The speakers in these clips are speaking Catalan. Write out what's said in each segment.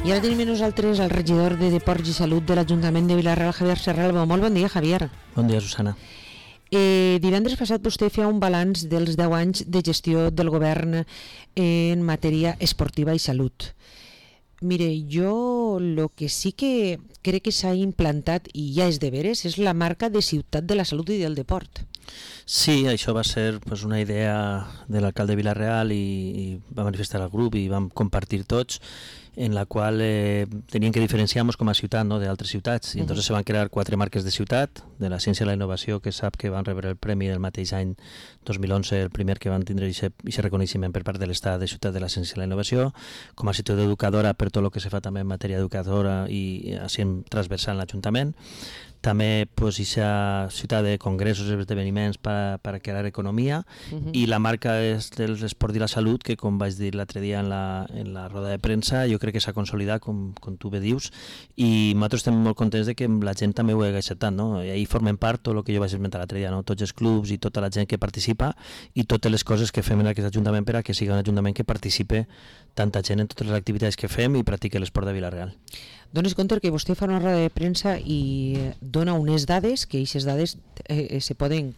I ara tenim amb nosaltres el regidor de Deports i Salut de l'Ajuntament de Vila-real, Javier Serralbo. Molt bon dia, Javier. Bon dia, Susana. Divendres passat vostè feia un balanç dels 10 anys de gestió del govern en matèria esportiva i salut. Mire, jo el que sí que crec que s'ha implantat i ja és de veres és la marca de ciutat de la salut i del deport. Sí, això va ser una idea de l'alcalde de Vila-real i va manifestar al grup i vam compartir tots, en la qual teníem que diferenciar-nos com a ciutat, no?, d'altres ciutats. I entonces se van crear 4 marques de ciutat, de la ciència i la innovació, que sap que van rebre el premi del mateix any 2011, el primer que van tindre aquest reconeixement per part de l'Estat de ciutat de la ciència i la innovació, com a ciutat educadora per tot el que se fa també en matèria educadora i així transversal en l'Ajuntament. També aquesta ciutat de congressos i esdeveniments per crear economia, i la marca és de l'esport i la salut, que com vaig dir l'altre dia en la roda de premsa, jo crec que s'ha consolidat, com tu bé dius, i nosaltres estem molt contents de que la gent també ho hagi acceptat, no? I ahir formem part tot el que jo vaig esmentar l'altre dia, no? Tots els clubs i tota la gent que participa i totes les coses que fem en aquest Ajuntament per a que sigui un Ajuntament que participe tanta gent en totes les activitats que fem i practique l'esport de Vila-real. Dones compte que vostè fa una roda de premsa i dona unes dades, que aquestes dades se poden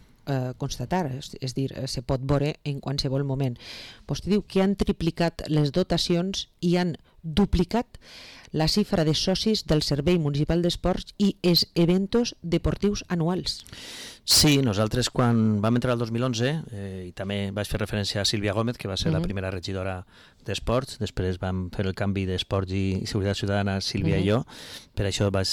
constatar, és dir, se pot veure en qualsevol moment. Vostè diu que han triplicat les dotacions i han duplicat la xifra de socis del Servei Municipal d'Esports i els eventos deportius anuals. Sí, nosaltres quan vam entrar el 2011, i també vaig fer referència a Sílvia Gómez, que va ser la primera regidora d'Esports, després vam fer el canvi d'Esports i Seguretat Ciutadana, Sílvia i jo, per això vaig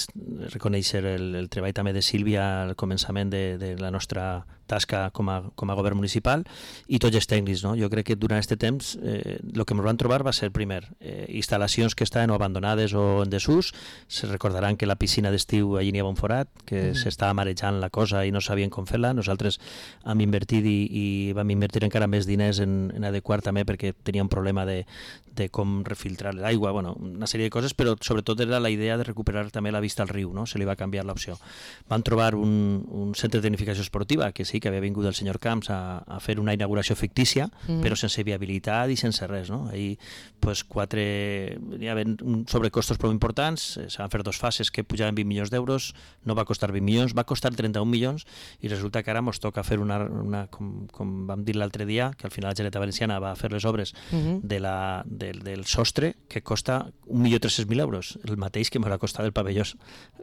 reconèixer el treball també de Sílvia al començament de la nostra tasca com a govern municipal, i tots els tècnics, no? Jo crec que durant aquest temps el que ens van trobar va ser, primer, instal·lacions que estaven o abandonades o en desús. Se recordaran que la piscina d'estiu allí n'hi havia un forat, que s'estava marejant la cosa i no sabien com fer-la. Nosaltres hem invertit i vam invertir encara més diners en adequar també, perquè tenia un problema de com refiltrar l'aigua, bueno, una sèrie de coses, però sobretot era la idea de recuperar també la vista al riu, no? Se li va canviar l'opció. Van trobar un centre de tecnificació esportiva, que sí, que havia vingut el senyor Camps a fer una inauguració fictícia, però sense viabilitat i sense res, no? Ahir, hi havia sobrecostos prou importants, se van fer 2 fases que pujaven 20 milions d'euros, no va costar 20 milions, va costar 31 milions, i resulta que ara ens toca fer com vam dir l'altre dia, que al final la Generalitat Valenciana va fer les obres del sostre, que costa 1.300.000 euros, el mateix que m'ha costat el pavelló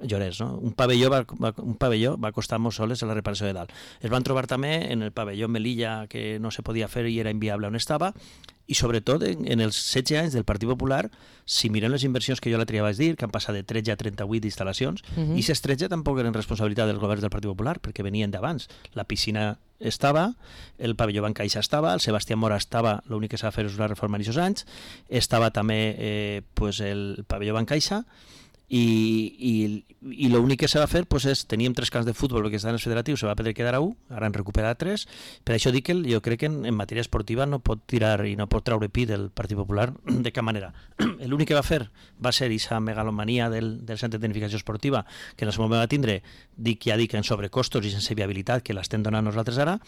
Llorens, no? Un pavelló va costar-nos soles la reparació de dalt. Es van trobar també en el pavelló Melilla, que no se podia fer i era inviable on estava, i sobretot en els 16 anys del Partit Popular, si mirem les inversions que jo l'altre dia vaig dir, que han passat de 13 a 38 instal·lacions, i aquestes 13 tampoc eren responsabilitat dels governs del Partit Popular, perquè venien d'abans. La piscina estava, el pavelló Bancaixa estava, el Sebastià Mora estava, l'únic que s'ha de fer és una reforma en aquests anys, estava també el pavelló Bancaixa, i l'únic que s'ha de fer és, teníem 3 camps de futbol perquè estaven els federatius, se va poder quedar a 1, ara han recuperat 3, per això dic que jo crec que en matèria esportiva no pot tirar i no pot traure pit del Partit Popular de cap manera. L'únic que va fer va ser aquesta megalomania del centre de tecnificació esportiva, que en el moment va tindre, en sobrecostos i sense viabilitat, que l'estem donant nosaltres ara,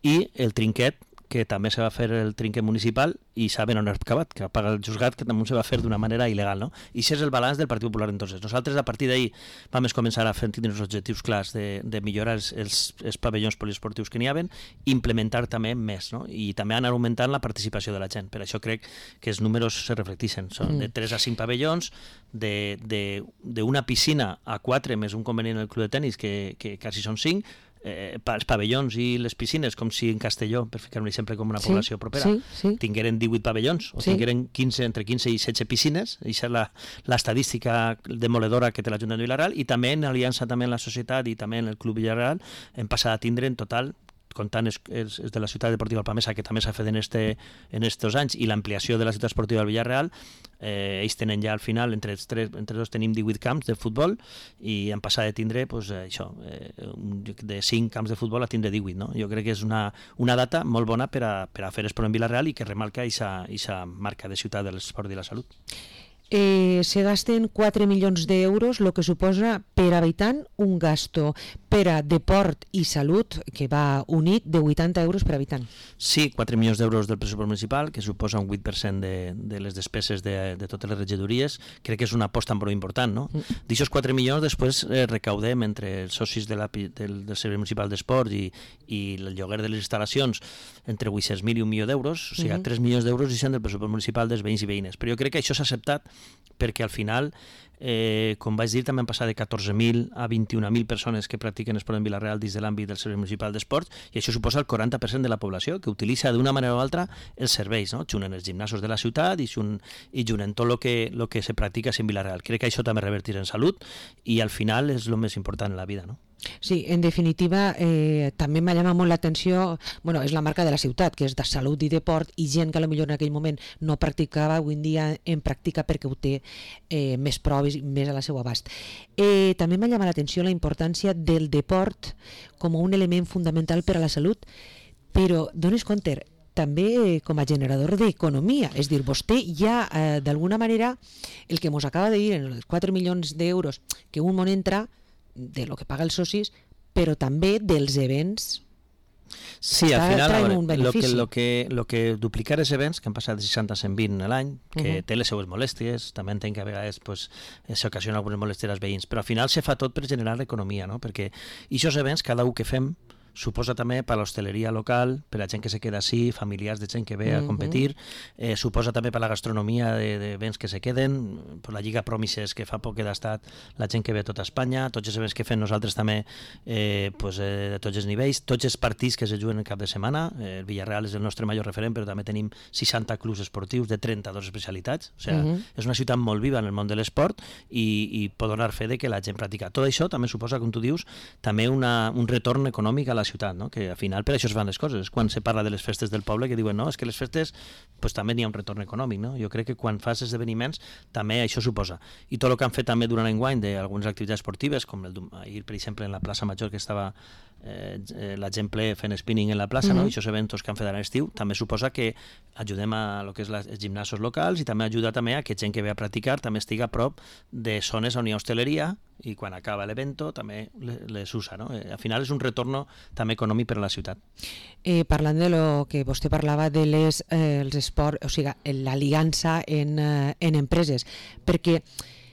i el trinquet, que també se va fer el trinquet municipal i saben on ha acabat, que va pagar el juzgat, que també se va fer d'una manera il·legal, no? I això és el balanç del Partit Popular entonces. Nosaltres a partir d'ahir vam començar a fer tindre els objectius clars de millorar els pavellons poliesportius que n'hi havia, implementar també més, no? I també anar augmentant la participació de la gent. Per això crec que els números se reflecteixen. Són de 3 a 5 pavellons, d'una piscina a 4, més un convenient en el club de tenis, que quasi són 5, els pavellons i les piscines, com si en Castelló, per ficar un exemple com una població propera, tingueren 18 pavellons o tingueren entre 15 i 16 piscines. Això és l'estadística demoledora que té l'Ajuntament de Vila-real, i també en aliança també en la societat i també en el Club Vila-real hem passat a tindre en total, comptant els de la ciutat deportiva Alpamesa, que també s'ha fet en estos anys, i l'ampliació de la ciutat esportiva del Villarreal, ells tenen ja al final, entre dos tenim 18 camps de futbol, i han passat de tindre de 5 camps de futbol a tindre 18, no? Jo crec que és una data molt bona per a fer esport en Villarreal i que remarca aquesta marca de ciutat de l'esport i la salut. Se gasten 4 milions d'euros, el que suposa per habitant un gasto per a deport i salut, que va unit, de 80 euros per habitant. Sí, 4 milions d'euros del pressupost municipal, que suposa un 8% de les despeses de totes les regidories. Crec que és una aposta molt important, no? D'aixòs 4 milions després recaudem entre els socis del Servei Municipal d'Esport i el lloguer de les instal·lacions entre 800.000 i 1 milió d'euros, o sigui, 3 milions d'euros i són del pressupost municipal dels veïns i veïnes. Però jo crec que això s'ha acceptat perquè al final, com vaig dir, també han passat de 14.000 a 21.000 persones que practiquen esport en Vila-real dins de l'àmbit del Servei Municipal d'Esports, i això suposa el 40% de la població que utilitza d'una manera o altra els serveis, no? Junt en els gimnasos de la ciutat i junt en tot el que se practica en Vila-real. Crec que això també revertirà en salut i al final és el més important en la vida, no? Sí, en definitiva, també m'ha llamat molt l'atenció, bueno, és la marca de la ciutat, que és de salut i deport, i gent que potser en aquell moment no practicava, avui en dia en practica perquè ho té més proves i més a la seva abast. També m'ha llamat l'atenció la importància del deport com un element fundamental per a la salut, però dones compte, també com a generador d'economia, és a dir, vostè ja d'alguna manera el que ens acaba de dir en els 4 milions d'euros que un món entra de lo que paga els socis, però també dels events. Sí, al final, lo que duplicar els events, que han passat de 60 a 120 l'any, que té les seues molèsties, també entenc que a vegades s'ocasiona algunes molèsties als veïns, però al final se fa tot per generar l'economia, no? Perquè aquests events, cada un que fem, suposa també per l'hostaleria local, per la gent que se queda així, familiars de gent que ve a competir, suposa també per la gastronomia de béns que se queden, per la Lliga Promises que fa poc que ha estat la gent que ve a tota Espanya, tots els events que fem nosaltres també de tots els nivells, tots els partits que se juguen el cap de setmana, el Villarreal és el nostre major referent, però també tenim 60 clubs esportius de 32 especialitats, o sigui, és una ciutat molt viva en el món de l'esport i pot donar fe de que la gent practica. Tot això també suposa, com tu dius, també un retorn econòmic a la ciutat, no? Que al final per això es fan les coses. És quan se parla de les festes del poble que diuen, no, és que les festes pues, també n'hi ha un retorn econòmic, no? Jo crec que quan fas esdeveniments també això suposa. I tot el que han fet també durant l'enguany d'algunes activitats esportives, com ahir, per exemple, en la plaça Major, que estava la gent ple fent spinning en la plaça, no? I aquests eventos que han fet a l'estiu, també suposa que ajudem a lo que és els gimnasos locals i també ajuda també a que gent que ve a practicar també estigui a prop de zones on hi ha hostaleria i quan acaba l'evento també les usa, no? Al final és un retorn també econòmic per a la ciutat. Parlant de lo que vostè parlava de els esports, o sigui, l'aliança en empreses, perquè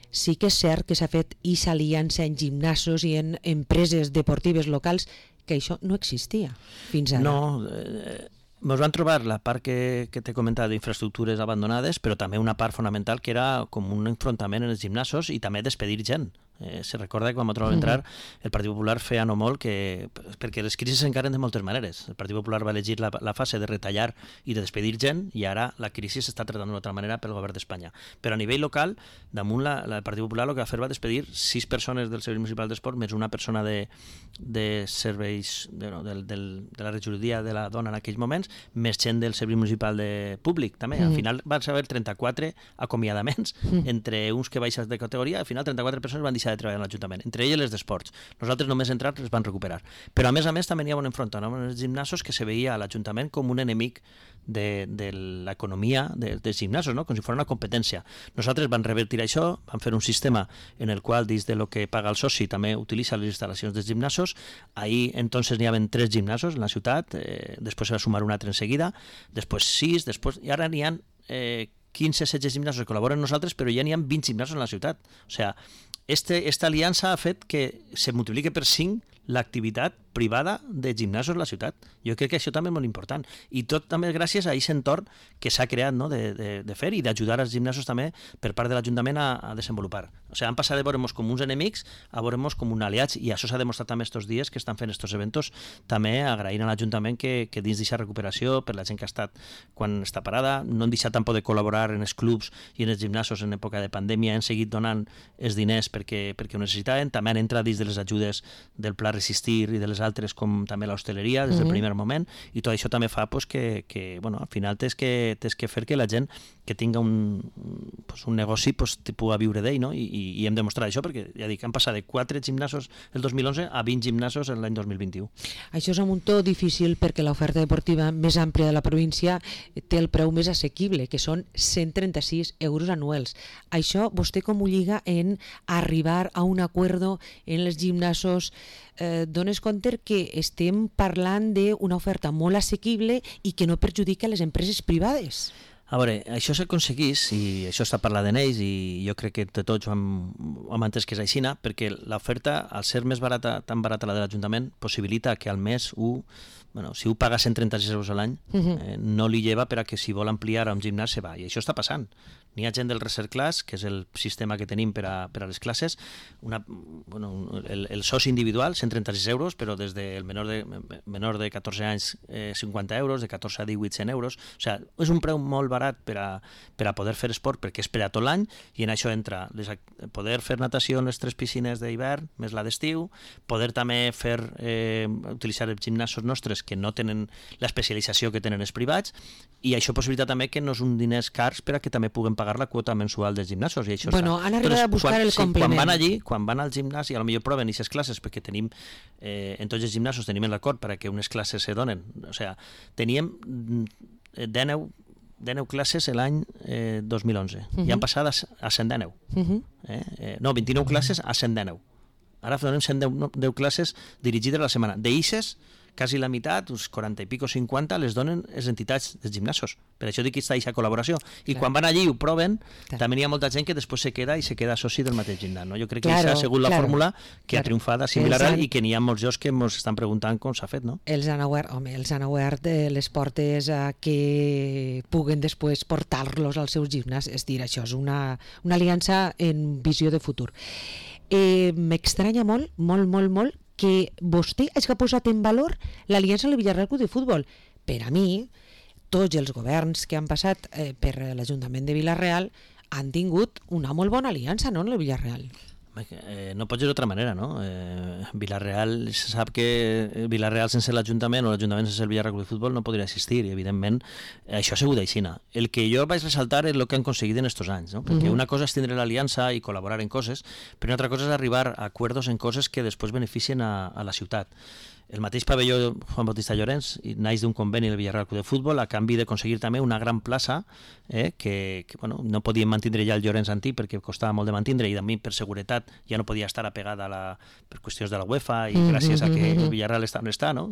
sí que és cert que s'ha fet aquesta aliança en gimnasos i en empreses deportives locals, que això no existia fins ara. No, ens van trobar la part que t'he comentat d'infraestructures abandonades, però també una part fonamental que era com un enfrontament en els gimnasos i també despedir gent. Se recorda que quan vam entrar el Partit Popular feia no molt perquè les crisis s'encaren de moltes maneres. El Partit Popular va elegir la fase de retallar i de despedir gent i ara la crisi s'està tratant d'una altra manera pel govern d'Espanya. Però a nivell local, damunt el Partit Popular el que va fer va despedir 6 persones del Servei Municipal d'Esport més una persona de serveis de la regidoria de la dona en aquells moments, més gent del Servei Municipal de Públic també. Al final van haver 34 acomiadaments entre uns que baixes de categoria, al final 34 persones van deixar de treballar en l'Ajuntament, entre elles les d'esports. Nosaltres només entrar les van recuperar. Però a més també hi ha un enfrontament amb els gimnasos que se veia a l'Ajuntament com un enemic de l'economia dels gimnasos, no? Com si fos una competència. Nosaltres vam revertir això, vam fer un sistema en el qual dins de lo que paga el soci també utilitza les instal·lacions dels gimnasos. Ahir entonces n'hi havia 3 gimnasos en la ciutat, després se va sumar un altre en seguida, després 6, i ara n'hi ha 15-16 gimnasos que col·laboren amb nosaltres, però ja n'hi ha 20 gimnasos en la ciutat. O sigui, esta aliança ha fet que se multipliqui per 5 l'activitat privada de gimnasos a la ciutat. Jo crec que això també és molt important. I tot també gràcies a aquest entorn que s'ha creat, no? de fer i d'ajudar als gimnasos també per part de l'Ajuntament a desenvolupar. O sigui, han passat de veure-nos com uns enemics a veure-nos com un aliats, i això s'ha demostrat també estos dies que estan fent estos eventos, també agraint a l'Ajuntament que dins d'aquesta recuperació, per la gent que ha estat quan està parada, no han deixat tampoc de col·laborar en els clubs i en els gimnasos en època de pandèmia, han seguit donant els diners perquè ho necessitaven, també han entrat dins de les ajudes del Pla Resistir i de les altres com també l'hostaleria des del primer moment, i tot això també fa pues, que bueno, al final tens que fer que la gent que tinga un negoci pues, pugui viure d'ell, no? I hem demostrat això, perquè ja dic, han passat de 4 gimnasos el 2011 a 20 gimnasos l'any 2021. Això és un muntó difícil perquè l'oferta deportiva més àmplia de la província té el preu més assequible, que són 136 euros anuals. Això vostè com ho lliga en arribar a un acuerdo en els gimnasos? Dones compte que estem parlant d'una oferta molt assequible i que no perjudica les empreses privades. A veure, això s'aconseguís, i això està parlat en ells, i jo crec que de tots ho hem entès que és així, perquè l'oferta, al ser més barata, tan barata la de l'Ajuntament, possibilita que al mes si paga 136 euros a l'any, no li lleva per a que si vol ampliar a un gimnàs se va, i això està passant. N'hi ha gent del Reserve Class, que és el sistema que tenim per a les classes, el soci individual, 136 euros, però des del menor de 14 anys 50 euros, de 14 a 18 100 euros, o sigui, és un preu molt barat per a poder fer esport, perquè és per a tot l'any, i en això entra poder fer natació en les 3 piscines d'hivern, més la d'estiu, poder també utilitzar els gimnasos nostres que no tenen l'especialització que tenen els privats, i això possibilita també que no és un diners cars per a que també puguem pagar la quota mensual dels gimnasos. I això han arribat a buscar el complement. Quan van al gimnàs, i potser proven aquestes classes, perquè tenim, en tots els gimnasos tenim l'acord perquè unes classes se donen. O sigui, teníem 19 classes l'any 2011, i han passat a 119. No, 29 classes a 119. Ara donem 110 classes dirigides a la setmana. D'eixes, quasi la meitat, uns 40 i pico, 50, les donen les entitats dels gimnasos. Per això dic que està aquesta col·laboració. I quan van allí i ho proven, també hi ha molta gent que després se queda soci del mateix gimnàs. No? Jo crec que aquesta ha sigut la fórmula que ha triomfat a Villarreal i que n'hi ha molts jocs que ens estan preguntant com s'ha fet. No? Els han obert les portes a que puguen després portar-los als seus gimnàs. És dir, això és una aliança en visió de futur. M'estranya molt, molt, que vostè hagi posat en valor l'aliança amb el Villarreal Club de Futbol. Per a mi, tots els governs que han passat per l'Ajuntament de Villarreal han tingut una molt bona aliança, no, amb el Villarreal? No pot ser d'altra manera, no? Villarreal, se sap que Villarreal sense l'Ajuntament o l'Ajuntament sense el Villarreal Club de Futbol no podria existir, i evidentment això ha sigut així. El que jo vaig ressaltar és el que han aconseguit en estos anys, no? Perquè una cosa és tindre l'aliança i col·laborar en coses, però una altra cosa és arribar a acords en coses que després beneficien a la ciutat. El mateix pavelló Juan Bautista Llorens naix d'un conveni del Villarreal Club de Futbol a canvi d'aconseguir també una gran plaça que no podíem mantindre ja el Llorens antic perquè costava molt de mantindre, i també per seguretat ja no podia estar apegada per qüestions de la UEFA, i gràcies a que el Villarreal està on està, no?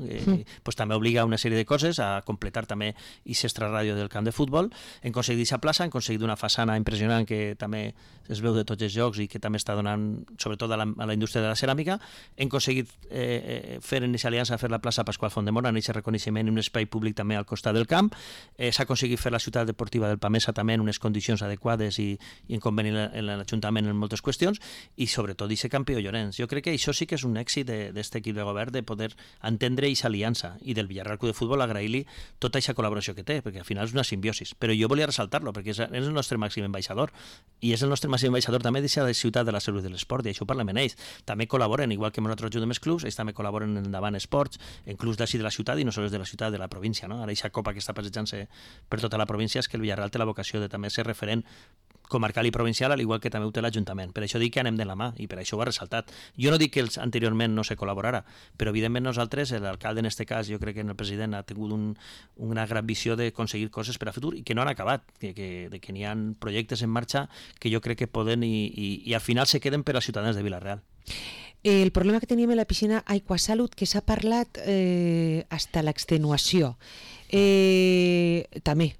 Pues també obliga una sèrie de coses a completar també aquest extraràdio del camp de futbol. Hem aconseguit aquesta plaça, hem aconseguit una façana impressionant que també es veu de tots els jocs i que també està donant sobretot a la indústria de la ceràmica. Hem aconseguit fer en aquesta aliança, fer la plaça Pasqual Fondemora, en aquest reconeixement i un espai públic també al costat del camp. S'ha aconseguit fer la ciutat deportiva del Pamesa també en unes condicions adequades i en conveni en l'Ajuntament en moltes qüestions, i sobretot aquest campió Llorenç. Jo crec que això sí que és un èxit d'aquest equip de govern, de poder entendre aquesta aliança, i del Villarreal Club de Futbol agrair-li tota aquesta col·laboració que té, perquè al final és una simbiosis. Però jo volia ressaltar-lo, perquè és el nostre màxim ambaixador, i és el nostre màxim ambaixador també d'aquesta ciutat de la salut i de l'esport, i això ho parlem en ells. També col·laboren, igual que nosaltres ajudem els clubs, ells també col·laboren en Endavant Esports, en clubs d'ací de la ciutat i no sols de la ciutat, de la província. No? Ara aquesta copa que està passejant-se per tota la província és que el Villarreal té la vocació de també ser referent comarcal i provincial, al igual que també ho té l'Ajuntament. Per això dic que anem de la mà, i per això ho ha ressaltat. Jo no dic que anteriorment no se col·laborara, però evidentment nosaltres, l'alcalde en aquest cas, jo crec que el president ha tingut una gran visió d'aconseguir coses per a futur i que no han acabat, que n'hi ha projectes en marxa que jo crec que poden i al final se queden per als ciutadans de Villarreal. El problema que teníem a la piscina Aquasalut, que s'ha parlat hasta l'extenuació, també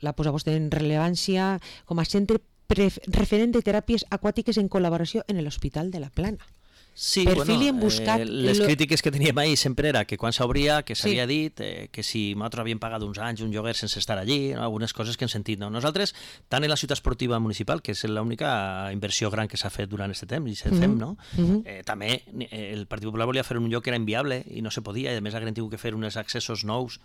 la posa vostè en rellevància com a centre referent de teràpies aquàtiques en col·laboració en l'Hospital de la Plana. Sí, les crítiques que teníem ahir sempre era que quan s'obria, que s'havia dit que si nosaltres havíem pagat uns anys un lloguer sense estar allí, algunes coses que hem sentit. No? Nosaltres, tant en la ciutat esportiva municipal, que és l'única inversió gran que s'ha fet durant aquest temps, i se fem, no? També el Partit Popular volia fer un lloc que era inviable i no se podia, i a més haguem tingut que fer uns accessos nous,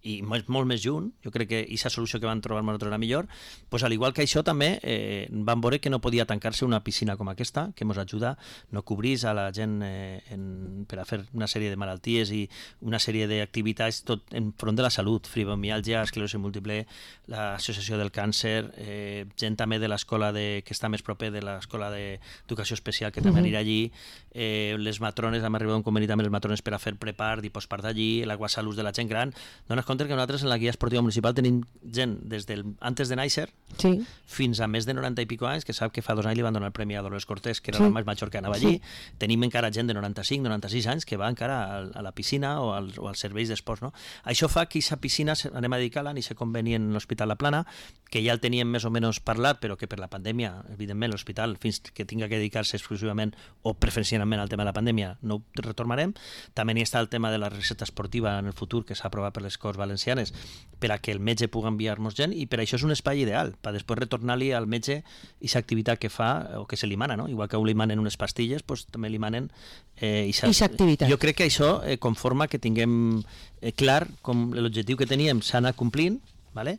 i molt més junt. Jo crec que aquesta solució que van trobar nosaltres era millor. Pues, al igual que això, també van veure que no podia tancar-se una piscina com aquesta, que ens ajuda a no cobrir gratis a la gent per a fer una sèrie de malalties i una sèrie d'activitats tot enfront de la salut, fibromiàlgia, esclerosi múltiple, l'associació del càncer, gent també de l'escola que està més proper de l'escola d'educació especial que també anirà allí, les matrones, hem arribat a un conveni també les matrones per a fer prepart i postpart allí, l'aguasalús de la gent gran. Dones compte que nosaltres en la guia esportiva municipal tenim gent des del antes de néixer fins a més de 90 i pico anys, que sap que fa 2 anys li van donar el premi a Dolores Cortés, que era la més major que anava allí. Tenim encara gent de 95, 96 anys que va encara a la piscina o als serveis d'esports. No? Això fa que aquesta piscina anem a dedicar-la en aquest conveni en l'Hospital La Plana, que ja el teníem més o menys parlat, però que per la pandèmia, evidentment, l'hospital, fins que tinga que dedicar-se exclusivament o preferencialment al tema de la pandèmia, no ho retornarem. També hi està el tema de la recepta esportiva en el futur, que s'ha aprovat per les Corts Valencianes, per a que el metge pugui enviar-nos gent, i per això és un espai ideal, per després retornar-li al metge aquesta activitat que fa o que se li mana, no? Igual que li manen unes pastilles, doncs també li manen aquesta activitat. Jo crec que això conforma que tinguem clar com l'objectiu que teníem s'ha anat complint, vale?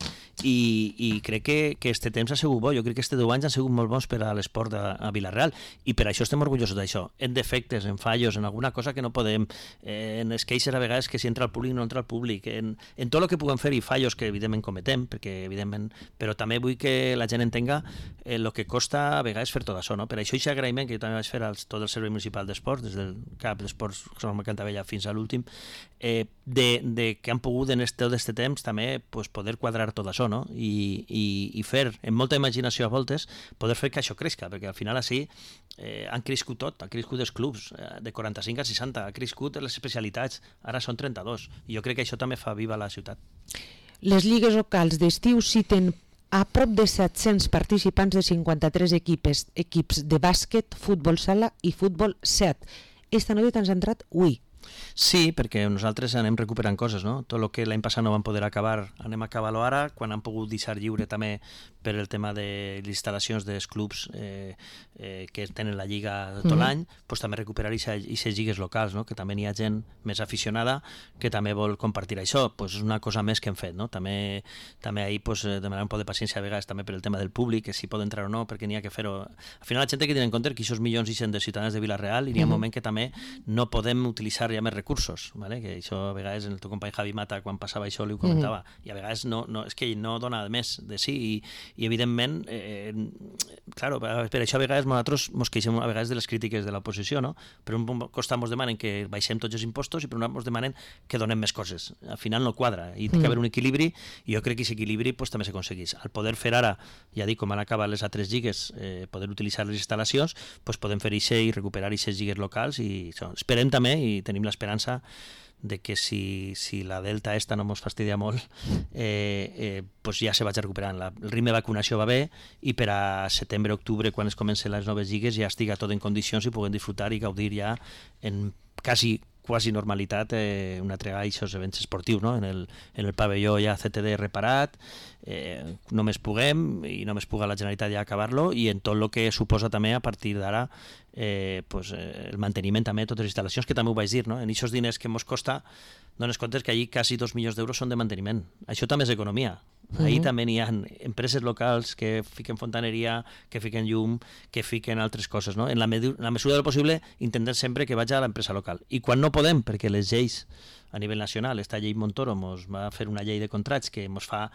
I crec que este temps ha sigut bo. Jo crec que este 10 anys han sigut molt bons per a l'esport a Vila-real, i per això estem orgullosos d'això. En defectes, en fallos, en alguna cosa que no podem, en les queixes a vegades que si entra al públic no entra al públic, en tot el que puguem fer, i fallos que evidentment cometem, perquè evidentment, però també vull que la gent entenga el que costa a vegades fer tot això, no? Per això aquest agraïment que jo també vaig fer a tot el Servei Municipal d'Esports, des del CAP d'Esports Jaume Cantabella fins a l'últim, de que han pogut en tot aquest temps també poder quadrar tot això, no? I fer, amb molta imaginació a voltes, poder fer que això creixca, perquè al final així han crescut tot, han crescut els clubs de 45 a 60, han crescut les especialitats, ara són 32, i jo crec que això també fa viva la ciutat. Les lligues locals d'estiu citen a prop de 700 participants de 53 equips de bàsquet, futbol sala i futbol 7. Esta novetat ens ha entrat avui. Sí, perquè nosaltres anem recuperant coses, no? Tot el que l'any passat no vam poder acabar, anem a acabar-lo ara, quan han pogut deixar lliure també per el tema de les instal·lacions dels clubs que tenen la lliga tot l'any, doncs també recuperar aquestes lligues locals, no? Que també hi ha gent més aficionada que també vol compartir això, doncs és una cosa més que hem fet, no? També ahir demanar un poc de paciència a vegades també per el tema del públic, que si pot entrar o no, perquè n'hi ha que fer-ho. Al final la gent té que tenir en compte que aquests milions i cent de ciutadans de Vila-real, hi ha un moment que també no podem utilitzar ja més recursos, ¿vale? Que això a vegades el teu company Javi Mata quan passava això li ho comentava, i a vegades no, és que no dona més de sí, i evidentment claro, per això a vegades nosaltres ens queixem a vegades de les crítiques de l'oposició, no? Per un costat ens demanen que baixem tots els impostos i per un altre ens demanen que donem més coses. Al final no quadra, i té que haver un equilibri, i jo crec que aquest equilibri també s'aconsegueix. Al poder fer ara, ja dic, com han acabat les altres lligues, poder utilitzar les instal·lacions, podem fer això i recuperar aquestes lligues locals, i esperem també, i tenim l'esperança de que si la delta esta no ens fastidia molt, ja se vagi recuperant. El ritme de vacunació va bé, i per a setembre-octubre, quan es comencen les noves lligues, ja estiga tot en condicions i puguem disfrutar i gaudir ja en quasi normalitat una altra vegada aquests events esportius, no? En el pavelló ja CTD reparat, només puguem, i només puga la Generalitat ja acabar-lo, i en tot el que suposa també a partir d'ara el manteniment també de totes les instal·lacions, que també ho vaig dir, no? En aquests diners que ens costa, dones comptes que allí quasi 2 milions d'euros són de manteniment. Això també és economia. Ahí també hi ha empreses locals que fiquen fontaneria, que fiquen llum, que fiquen altres coses, no? En la mesura del possible intentem sempre que vagi a l'empresa local. I quan no podem, perquè les lleis a nivell nacional, esta llei Montoro ens va fer una llei de contrats que ens fa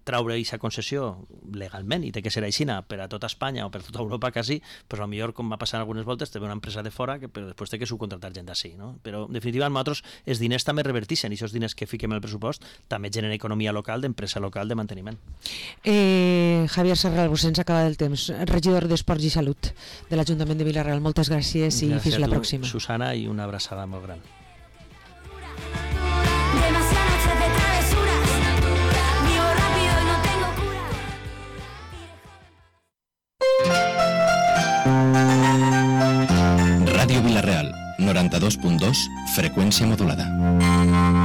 traure aquesta concessió legalment, i té que ser aixina per a tota Espanya o per a tota Europa quasi, però potser com va passar algunes voltes té una empresa de fora que després té que subcontratar gent d'ací, no? Però en definitiva nosaltres els diners també revertixen, i aquests diners que fiquem al pressupost també generen economia local, d'empresa local, de manteniment. Javier Serralbo, se'ns acaba el temps, regidor d'Esports i Salut de l'Ajuntament de Vila-real, moltes gràcies i fins la pròxima. Gràcies a tu, Susana, i una abraçada molt gran. Ràdio Vila-real, 92.2, freqüència modulada.